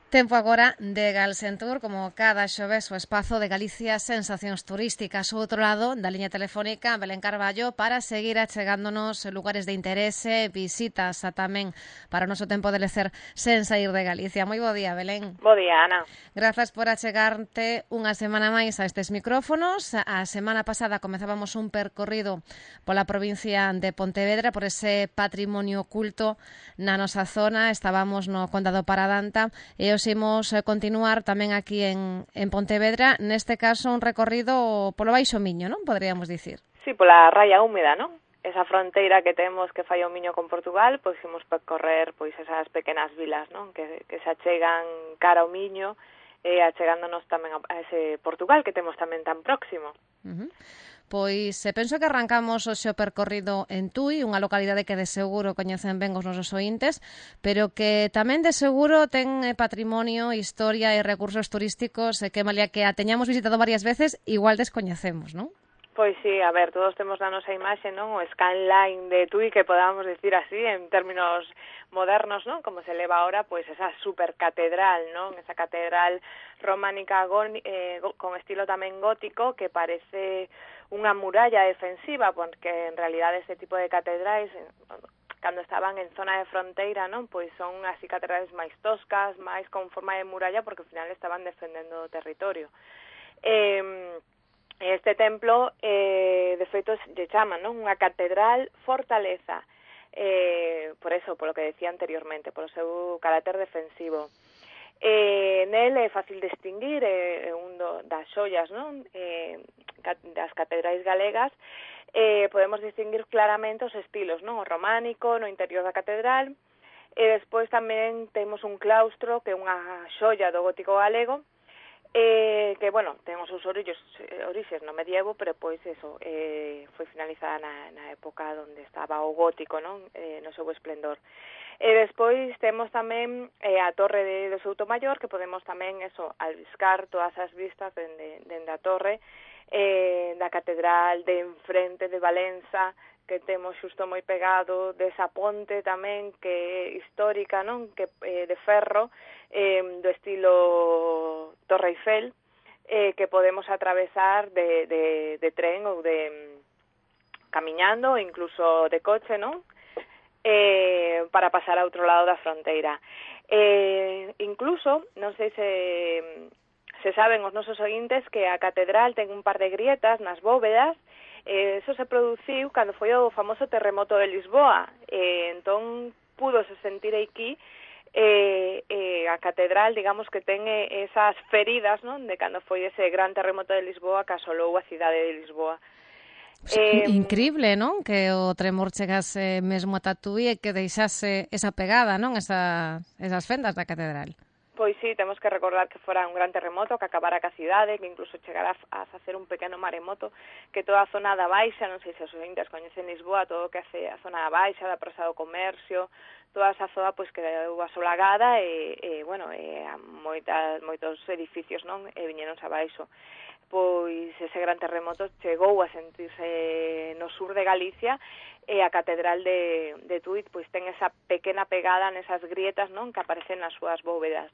Tempo agora de Galsentur, como cada xoves o espazo de Galicia Sensacións Turísticas. O outro lado da liña telefónica, Belén Carballo, para seguir achegándonos lugares de interese, visitas tamén para o noso tempo de lecer sen sair de Galicia. Moi bo día, Belén. Bo día, Ana. Grazas por achegarte unha semana máis a estes micrófonos. A semana pasada comezábamos un percorrido pola provincia de Pontevedra, por ese patrimonio oculto na nosa zona. Estábamos no Condado Paradanta e os imos continuar tamén aquí en Pontevedra, neste caso un recorrido polo Baixo Miño, non? Podríamos dicir. Sí, pola raya húmeda, non? Esa fronteira que temos que fai o Miño con Portugal, pois imos percorrer pois esas pequenas vilas, non? Que se achegan cara ao Miño e achegándonos tamén a ese Portugal que temos tamén tan próximo. Pois penso que arrancamos o xo percorrido en Tui, unha localidade que de seguro coñecen ben os nosos ointes, pero que tamén de seguro ten patrimonio, historia e recursos turísticos que, malia que a teñamos visitado varias veces, igual descoñecemos, non? Pois sí, a ver, todos temos na nosa imaxe, non? O skyline de Tui, que podamos decir así, en términos modernos, non? Como se leva ahora, pois esa supercatedral, non? Esa catedral románica con estilo tamén gótico, que parece unha muralla defensiva, porque en realidade este tipo de catedrais, cando estaban en zona de fronteira, non? Pois son así catedrais máis toscas, máis con forma de muralla, porque ao final estaban defendendo o territorio. Este templo, de feito, lle chaman, non? Unha catedral fortaleza, por eso, polo que decía anteriormente, polo seu carácter defensivo. Nel é fácil distinguir, un das xoias, non? Das catedrais galegas, podemos distinguir claramente os estilos, non? O románico no interior da catedral, e despois tamén temos un claustro que é unha xoia do gótico galego, que, bueno, ten os seus orixes no medievo, pero pois eso, foi finalizada na época onde estaba o gótico, non? No seu esplendor. E despois temos tamén a torre do Soutomaior, que podemos tamén eso, albiscar todas as vistas dende a torre da catedral de enfrente de Valença, que temos xusto moi pegado desa ponte tamén que é histórica, non? Que de ferro, do estilo Torre Eiffel, que podemos atravesar de tren ou de camiñando, ou incluso de coche, non? Para pasar a outro lado da fronteira. Incluso, non sei se saben os nosos ointes que a catedral ten un par de grietas nas bóvedas. Eso se produciu cando foi o famoso terremoto de Lisboa. Entón, púdose sentir aquí a catedral, digamos que ten esas feridas, non? De cando foi ese gran terremoto de Lisboa que asolou a cidade de Lisboa. Increíble, non? Que o tremor chegase mesmo a Tui e que deixase esa pegada, non? Esas fendas da catedral. Pois sí, temos que recordar que fora un gran terremoto que acabara ca cidade, que incluso chegara a facer un pequeno maremoto, que toda a zona da Baixa, non sei se os ointes coñecen Lisboa, todo o que hace a zona da Baixa, da Praza do Comercio, toda esa zona pois quedou asolagada e bueno, moitos edificios, non? Viñeronse abaixo. Pois ese gran terremoto chegou a sentirse no sur de Galicia e a catedral de Tui pois ten esa pequena pegada nesas grietas, non? Que aparecen nas súas bóvedas.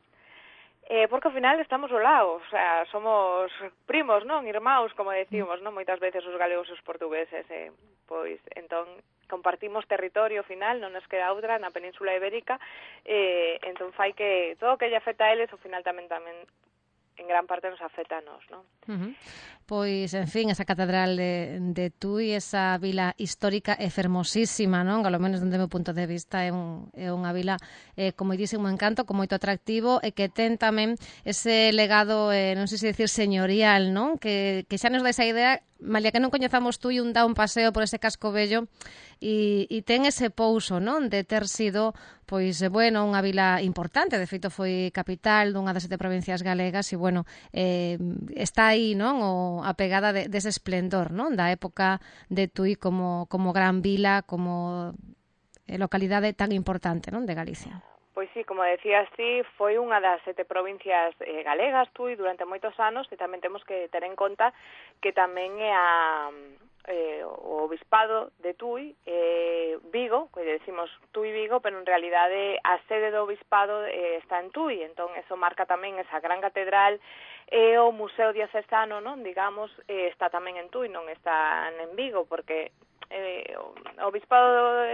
Porque ao final estamos ao lado, o sea, somos primos, non? Irmãos, como decimos, non? Moitas veces os galegos e os portugueses, pois, entón, compartimos territorio ao final, non nos queda outra na Península Ibérica, entón fai que todo o que lle afecta a eles, ao final tamén en gran parte nos afecta a nós, non? Pois, en fin, esa catedral de Tui, esa vila histórica é fermosísima, non? Ao menos dende o meu punto de vista é unha vila con moitísimo encanto, con moito atractivo e que ten tamén ese legado, non sei se dicir señorial, non? Que xa nos dá esa idea, malia que non coñezamos Tui, dá un paseo por ese casco bello e ten ese pouso, non? De ter sido, pois, bueno, unha vila importante, de feito foi capital dunha das 7 provincias galegas e, bueno, está aí, non? A pegada dese esplendor, non? Da época de Tui como gran vila, como localidade tan importante, non? De Galicia. Pois sí, como decías ti, foi unha das 7 provincias galegas, Tui, durante moitos anos, e tamén temos que ter en conta que tamén é o obispado de Tui, Vigo, que decimos Tui Vigo, pero en realidade a sede do obispado está en Tui, entón eso marca tamén esa gran catedral, e o Museo Diocesano, non, digamos, está tamén en Tui, non está en Vigo, porque o obispado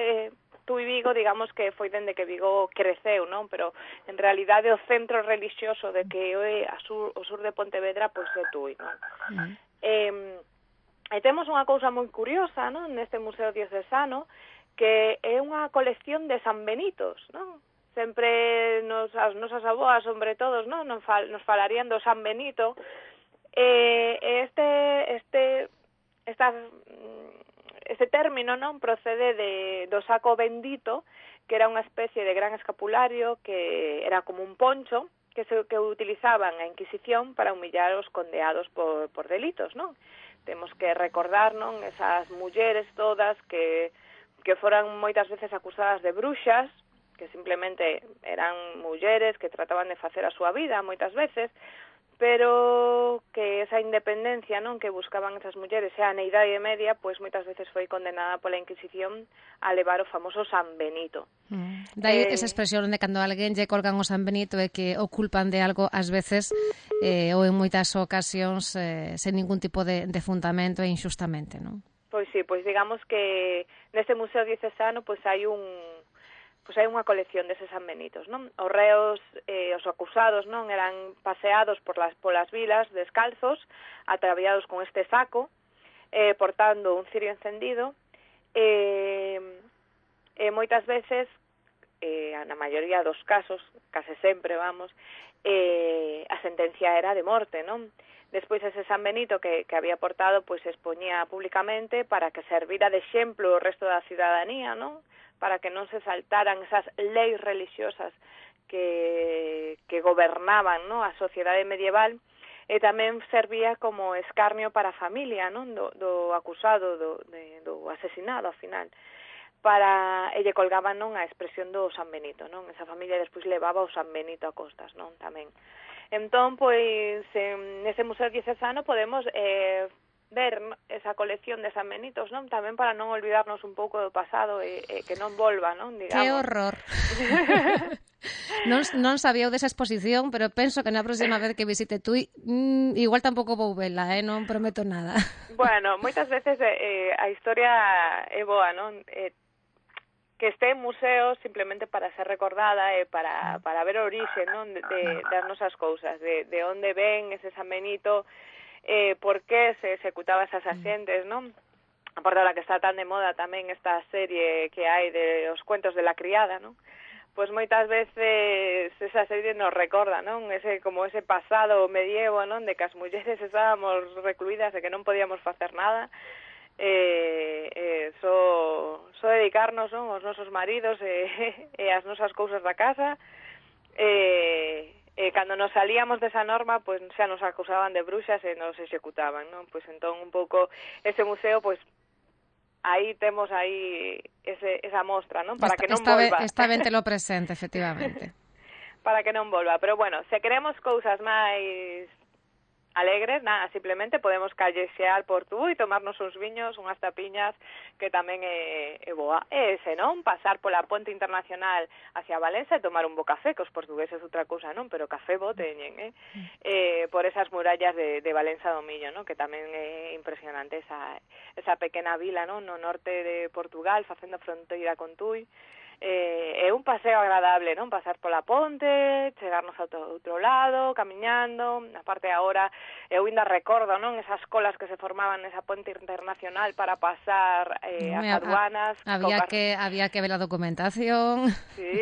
Tui Vigo, digamos que foi dende que Vigo creceu, non, pero en realidade o centro relixioso de que é o sur de Pontevedra, pois é Tui, non? E temos unha cousa moi curiosa, non, neste Museo Diocesano, que é unha colección de San Benitos, non? Sempre as nosas avoas, sobre todos, non, nos falarían do San Benito. Este término, non, procede do saco bendito, que era unha especie de gran escapulario que era como un poncho que utilizaban a Inquisición para humillar os condeados por delitos, non? Temos que recordar, non, esas mulleres todas que foran moitas veces acusadas de bruxas, que simplemente eran mulleres que trataban de facer a súa vida moitas veces, pero que esa independencia, non, que buscaban esas mulleres xa na Idade Media, pois moitas veces foi condenada pola Inquisición a levar o famoso San Benito. Dai esa expresión de cando alguén lle colgan o San Benito e que o culpan de algo, ás veces, ou en moitas ocasións, sen ningún tipo de fundamento e inxustamente, non? Pois sí, pois digamos que neste Museo Diocesano pois hai unha colección deses San Benitos, non? Os reos, os acusados, non, eran paseados polas vilas descalzos, ataviados con este saco, portando un cirio encendido, e moitas veces, na maioría dos casos, case sempre, vamos, a sentencia era de morte, non? Despois ese San Benito que había portado, pois se expoñía públicamente para que servira de exemplo o resto da cidadanía, non? Para que non se saltaran esas leis religiosas que gobernaban, non, a sociedade medieval, e tamén servía como escarnio para a familia, non, do acusado, do asesinado, ao final, e lle colgaban, non, a expresión do San Benito, non? Esa familia despois levaba o San Benito a costas, non, tamén. Entón, pois, nese Museo Diocesano podemos ver esa colección de San Benitos, non? Tamén para non olvidarnos un pouco do pasado e que non volva, non? Digamos. Que horror! non sabía desa exposición, pero penso que na próxima vez que visite Tui, igual tampouco vou vela, non prometo nada. Bueno, moitas veces a historia é boa, non? Que este museo simplemente para ser recordada e para ver o orixe, non, das nosas cousas, de onde ven ese San Benito, por que se executaba esas axentes, non? A parte da que está tan de moda tamén esta serie que hai de os cuentos de la criada, non? Pois moitas veces esa serie nos recorda, non? Ese pasado medievo, non? De que as mulleres estábamos recluídas e que non podíamos facer nada, só dedicarnos, non, aos nosos maridos e as nosas cousas da casa, cando nos salíamos desa norma, pois xa nos acusaban de bruxas e nos executaban, non? Pois entón un pouco ese museo, pois aí temos esa mostra, non? Para que non volva. Está ben telo presente, efectivamente. Para que non volva, pero bueno, se queremos cousas máis alegres, nada, simplemente podemos callexear por Tui, tomarnos uns viños, unhas tapiñas, que tamén é boa. E se non, pasar pola ponte internacional hacia Valencia e tomar un bo café, que os portugueses outra cousa non, pero café bo teñen, por esas murallas de Valença do Miño, non, que tamén é impresionante esa pequena vila, non, no norte de Portugal, facendo fronteira con Tui. É un paseo agradable, non? Pasar pola ponte, chegarnos ao outro lado, camiñando. Aparte agora, eu ainda recordo, non? Esas colas que se formaban nesa ponte internacional para pasar as aduanas. Había que ver a documentación. Sí,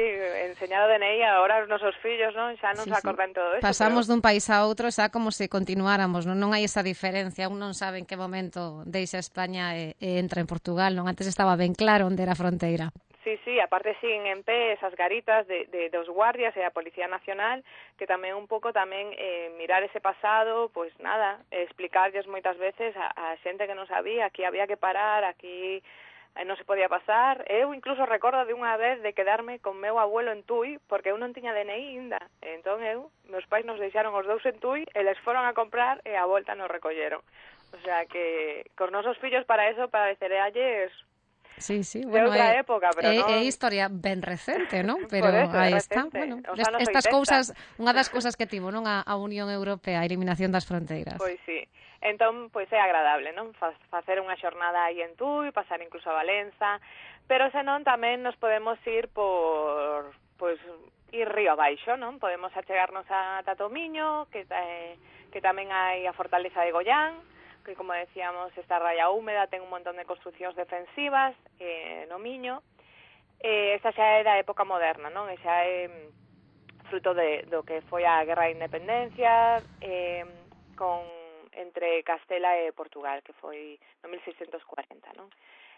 enseñar o DNI agora os nosos fillos, non? Xa non se acordan todo eso. Pasamos dun país a outro xa como se continuáramos, non hai esa diferencia. Un non sabe en que momento deixa España e entra en Portugal, non? Antes estaba ben claro onde era a fronteira. Sí, aparte siguen en pé esas garitas dos guardias e a Policía Nacional, que tamén un pouco mirar ese pasado, pois nada, explicarlles moitas veces a xente que non sabía, aquí había que parar, aquí non se podía pasar. Eu incluso recordo de unha vez de quedarme con meu abuelo en Tui, porque eu non tiña DNI ainda. Entón meus pais nos deixaron os dous en Tui, eles foron a comprar e a volta nos recolleron. O sea que cos nosos fillos para eso pareceralles Sí, sí, de bueno, outra época, pero non... é historia ben recente, non? Pero Por eso, aí é está. recente, Bueno, os anos estas 80. cousas, unha das cousas que tivo, non, a Unión Europea, a eliminación das fronteiras. Pois sí. Entón, pois é agradable, non? Facer unha xornada aí en Tui, pasar incluso a Valenza, pero senón tamén nos podemos ir por, pois, ir río abaixo, non? Podemos achegarnos a Tatomiño, que tamén hai a Fortaleza de Goián, que, como decíamos, esta raya húmeda ten un montón de construcións defensivas no Miño. Esta xa é da época moderna, non? E xa é fruto do que foi a Guerra de Independencia entre Castela e Portugal, que foi no 1640, non?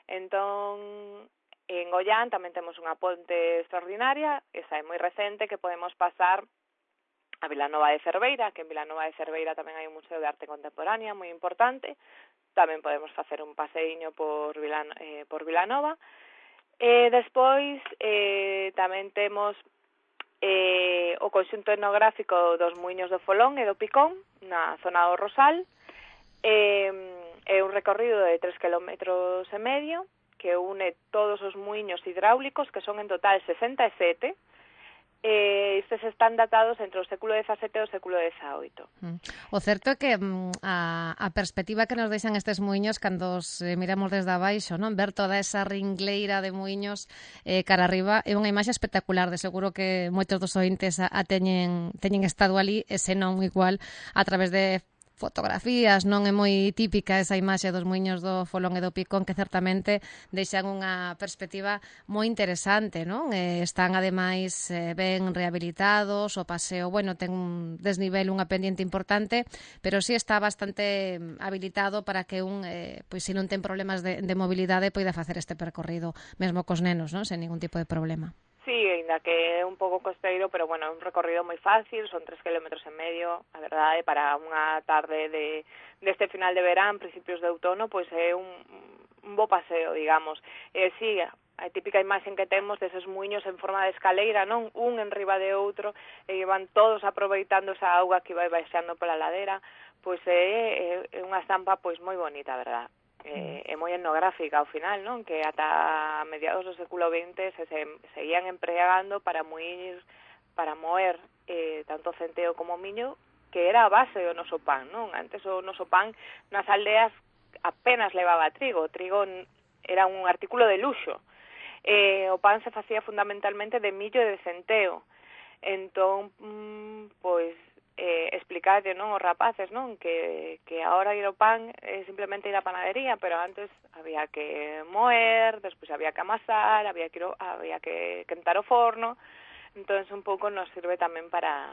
Entón, en Goián tamén temos unha ponte extraordinaria, esa é moi recente, que podemos pasar a Vilanova de Cerveira, que en Vilanova de Cerveira tamén hai un museo de arte contemporánea moi importante. Tamén podemos facer un paseiño por Vilanova. Despois tamén temos o conxunto etnográfico dos Muiños do Folón e do Picón, na zona do Rosal. É un recorrido de 3,5 km, que une todos os muiños hidráulicos, que son en total 67. Estes están datados entre o século XVII e o século XVIII. O certo é que a perspectiva que nos deixan estes muiños cando os miramos desde abaixo, non? Ver toda esa ringleira de muiños cara arriba é unha imaxe espectacular. De seguro que moitos dos ointes a teñen estado ali, e senón igual a través de fotografías, non é moi típica esa imaxe dos muiños do Folón e do Picón, que certamente deixan unha perspectiva moi interesante, non? Están ademais ben rehabilitados, o paseo, bueno, ten un desnivel, unha pendiente importante, pero sí está bastante habilitado para que pois se non ten problemas de mobilidade, poida facer este percorrido, mesmo cos nenos, non? Sen ningún tipo de problema. Sí, ainda que é un pouco costeiro, pero bueno, é un recorrido moi fácil, son 3,5 km, a verdade, para unha tarde deste final de verán, principios de outono, pois é un bo paseo, digamos. Sí, a típica imaxe que temos deses muiños en forma de escaleira, non? Un enriba de outro, e van todos aproveitando esa auga que vai baixando pola ladera, pois é unha estampa pois moi bonita, a verdade. É moi etnográfica ao final, non? Que ata mediados do século XX se seguían empregando para moer tanto centeo como miño, que era a base do noso pan, non? Antes o noso pan nas aldeas apenas levaba trigo. O trigo era un artículo de luxo. O pan se facía fundamentalmente de millo e de centeo. Entón, pois, explicarlle, non, os rapaces, non, que agora ir ao pan é simplemente ir á panadería, pero antes había que moer, despois había que amasar, había que quentar o forno. Entón, un pouco nos sirve tamén para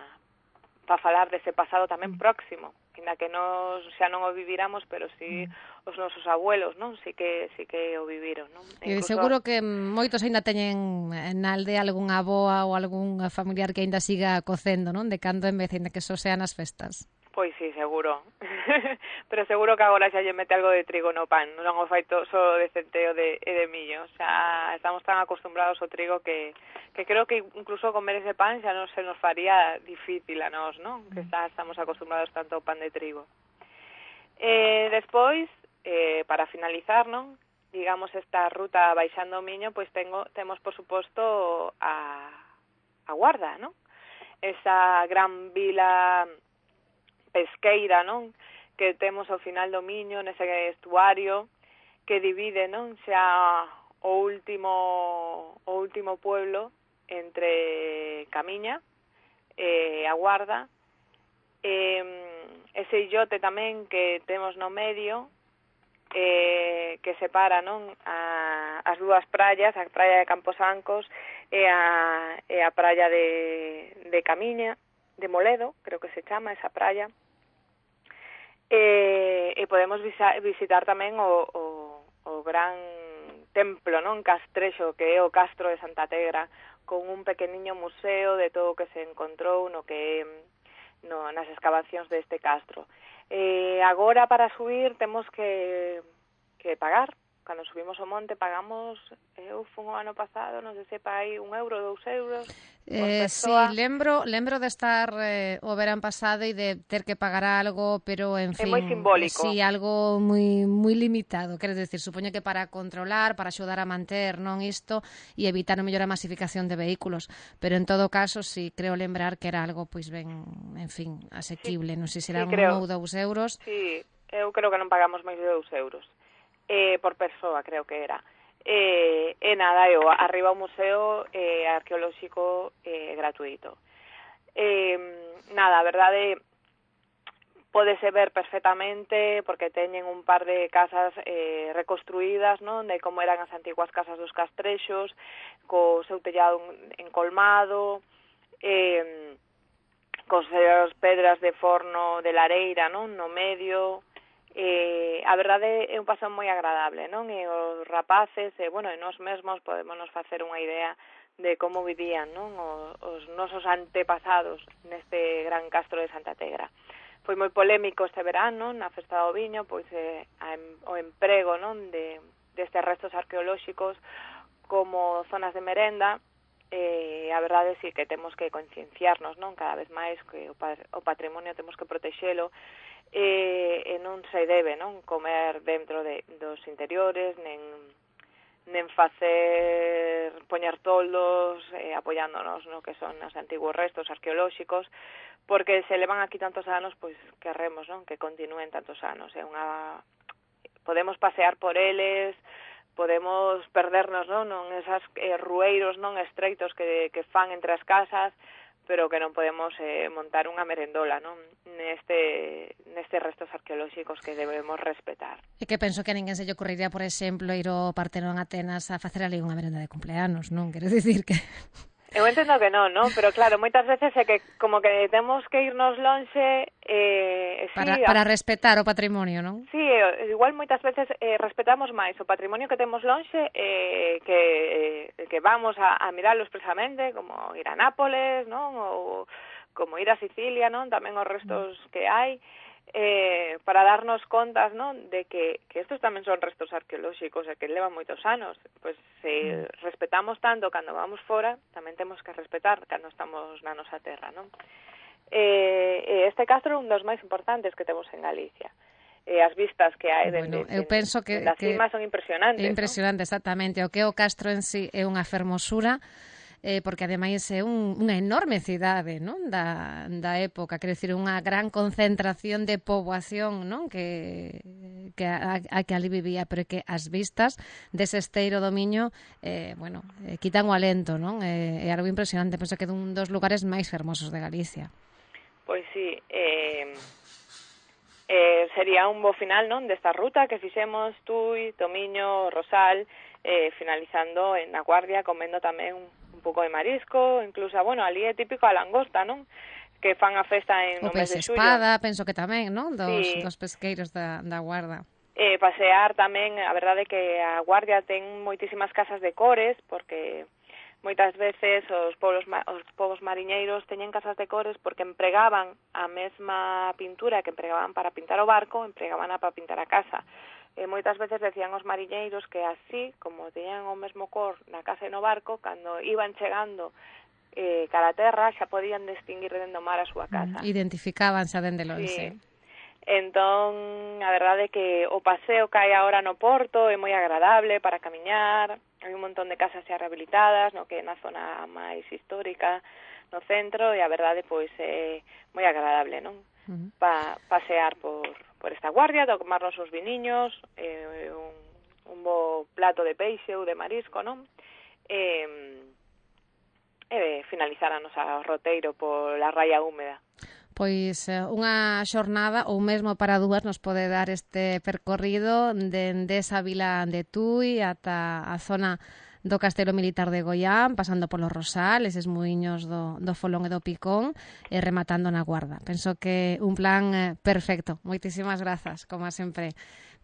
falar dese pasado tamén próximo, ainda que nos xa non o viviramos, pero si os nosos abuelos, non? Si que o viviron, non? Incluso... seguro que moitos aínda teñen na aldea algunha avoa ou algún familiar que aínda siga cocendo, non? De cando en vez, aínda que só sean as festas. Pois sí, seguro. Pero seguro que agora xa lle mete algo de trigo no pan, non o fai só de centeo e de millo. Xa estamos tan acostumbrados ao trigo que creo que incluso comer ese pan xa non se nos faría difícil a nós, non? Que estamos acostumbrados tanto ao pan de trigo. Despois, para finalizar, non? Digamos, esta ruta baixando o Miño, pois temos, por suposto, a Guarda, non? Esa gran vila pesqueira, non? Que temos ao final do Miño, nese estuario, que divide, non? Xa o último pueblo entre Camiña e a Guarda. Ese illote tamén que temos no medio, que separa, non? As dúas praias, a praia de Camposancos e a praia de Camiña, de Moledo, creo que se chama esa praia. E podemos visitar tamén o gran templo, non? Castrexo, que é o Castro de Santa Tegra, con un pequeniño museo de todo o que se encontrou nas excavacións deste castro. Agora, para subir, temos que pagar, cando subimos ao monte pagamos, eu fun o ano pasado, non sei se pa aí 1 euro, 2 euros por Sí, persoa. lembro de estar o verán pasado e de ter que pagar algo, pero, en É moi fin, simbólico. sí, algo moi limitado. Quero decir, supoño que para controlar, para axudar a manter non isto e evitar o mellor a masificación de vehículos. Pero, en todo caso, sí, creo lembrar que era algo, pois ben, en fin, Sí, asequible. Non sei se sí, eran 1 creo. ou 2 euros. Sí, eu creo que non pagamos máis de 2 euros. Por persoa, creo que era. Nada, arriba o museo arqueolóxico gratuito. Nada, a verdade, pódese ver perfectamente porque teñen un par de casas reconstruídas, non, de como eran as antiguas casas dos castrexos, co seu tellado encolmado, con as pedras de forno de lareira, non, no medio. A verdade é un paseo moi agradable, non? E os rapaces, e nós mesmos podémonos facer unha idea de como vivían, non? Os nosos antepasados neste gran castro de Santa Tegra. Foi moi polémico este verano, na Festa do Viño, pois o emprego, non, destes restos arqueolóxicos como zonas de merenda. A verdade sí que temos que concienciarnos, non, cada vez máis que o patrimonio temos que protexelo, e non se debe, non, comer dentro dos interiores, nen poñer toldos apoiándonos no que son os antigos restos arqueolóxicos, porque se levan aquí tantos anos, pois queremos, non, que continúen tantos anos. Podemos pasear por eles, podemos perdernos, non, esas rueiros non estreitos que fan entre as casas, pero que non podemos montar unha merendola, non, nestes restos arqueolóxicos que debemos respetar. E que penso que a ninguén se lle ocurriría, por exemplo, ir ao Partenón Atenas a facer ali unha merenda de cumpleanos, non? Quero dicir que... Eu entendo que non, pero claro, moitas veces é que como que temos que irnos lonxe para respetar o patrimonio, non? Sí, igual moitas veces respetamos máis o patrimonio que temos lonxe que vamos a miralo expresamente, como ir a Nápoles, non? Ou como ir a Sicilia, non? Tamén os restos que hai, para darnos contas, non, de que estos tamén son restos arqueolóxicos e que levan moitos anos. Pois se respetamos tanto cando vamos fora, tamén temos que respetar cando estamos na nosa terra, non? Este castro é un dos máis importantes que temos en Galicia. As vistas que hai eu penso que das cimas son impresionantes. É impresionante, ¿no? Exactamente. O que o castro en sí é unha fermosura, porque ademais é unha enorme cidade, non, da época, quero dicir, unha gran concentración de poboación, non, que ali vivía, pero que as vistas dese esteiro do Miño, quitan o alento, non? É algo impresionante, penso que é un dos lugares máis fermosos de Galicia. Pois sí, sería un bo final, non, desta ruta que fixemos Tui, Tomiño, Rosal, finalizando en A Guardia, comendo tamén un pouco de marisco, incluso, ali é típico a langosta, non? Que fan a festa no mes de xullo. O peixe espada, penso que tamén, non? Dos pesqueiros da Guarda. Pasear tamén, a verdade é que a Guardia ten moitísimas casas de cores, porque moitas veces os povos mariñeiros teñen casas de cores porque empregaban a mesma pintura que empregaban para pintar o barco, empregaban para pintar a casa. Moitas veces decían os mariñeiros que así, como teñan o mesmo cor na casa e no barco, cando iban chegando cara a terra xa podían distinguir dentro do mar a súa casa. Identificábanse dende lonxe. Sí. Entón, a verdade é que o paseo que hai agora no Porto é moi agradable para camiñar, hai un montón de casas xa rehabilitadas, no que é na zona máis histórica, no centro, e a verdade pois é moi agradable, non? Pasear por esta Guardia, tomarnos uns viniños, un bo plato de peixe ou de marisco, non? Finalizar a nosa roteiro pola raia húmeda. Pois unha xornada ou mesmo para dúas nos pode dar este percorrido dende esa vila de Tui ata a zona do Castelo Militar de Goián, pasando polo Rosal, eses muiños do Folón e do Picón, e rematando na Guarda. Penso que un plan perfecto. Moitísimas grazas, como sempre,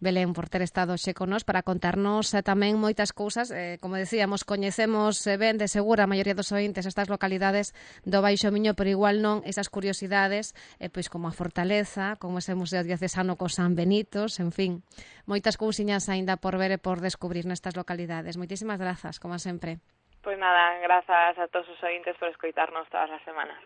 Belén, por ter estado xe con nós para contarnos tamén moitas cousas. Como decíamos, coñecemos ben de segura a maioría dos ointes estas localidades do Baixo Miño, pero igual non esas curiosidades, pois como a Fortaleza, como ese Museo Diocesano co San Benitos, en fin, moitas cousiñas aínda por ver e por descubrir nestas localidades. Moitísimas grazas, como sempre. Pois nada, grazas a todos os ointes por escoitarnos todas as semanas.